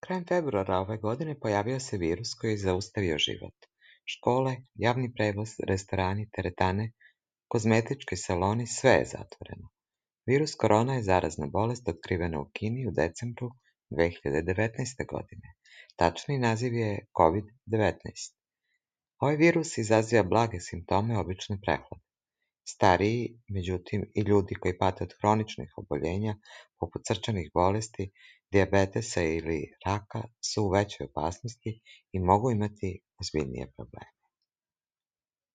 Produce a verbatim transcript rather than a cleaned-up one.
Krajem februara ove godine pojavio se virus koji je zaustavio život. Škole, javni prevoz, restorani, teretane, kozmetički saloni, sve je zatvoreno. Virus korona je zarazna bolest otkrivena u Kini u decembru dve hiljade devetnaeste godine. Tačni naziv je kovid devetnaest. Ovaj virus izaziva blage simptome obične prehlade. Stariji, međutim, i ljudi koji pate od hroničnih oboljenja, poput srčanih bolesti, dijabetesa ili raka, su u većoj opasnosti i mogu imati ozbiljnije probleme.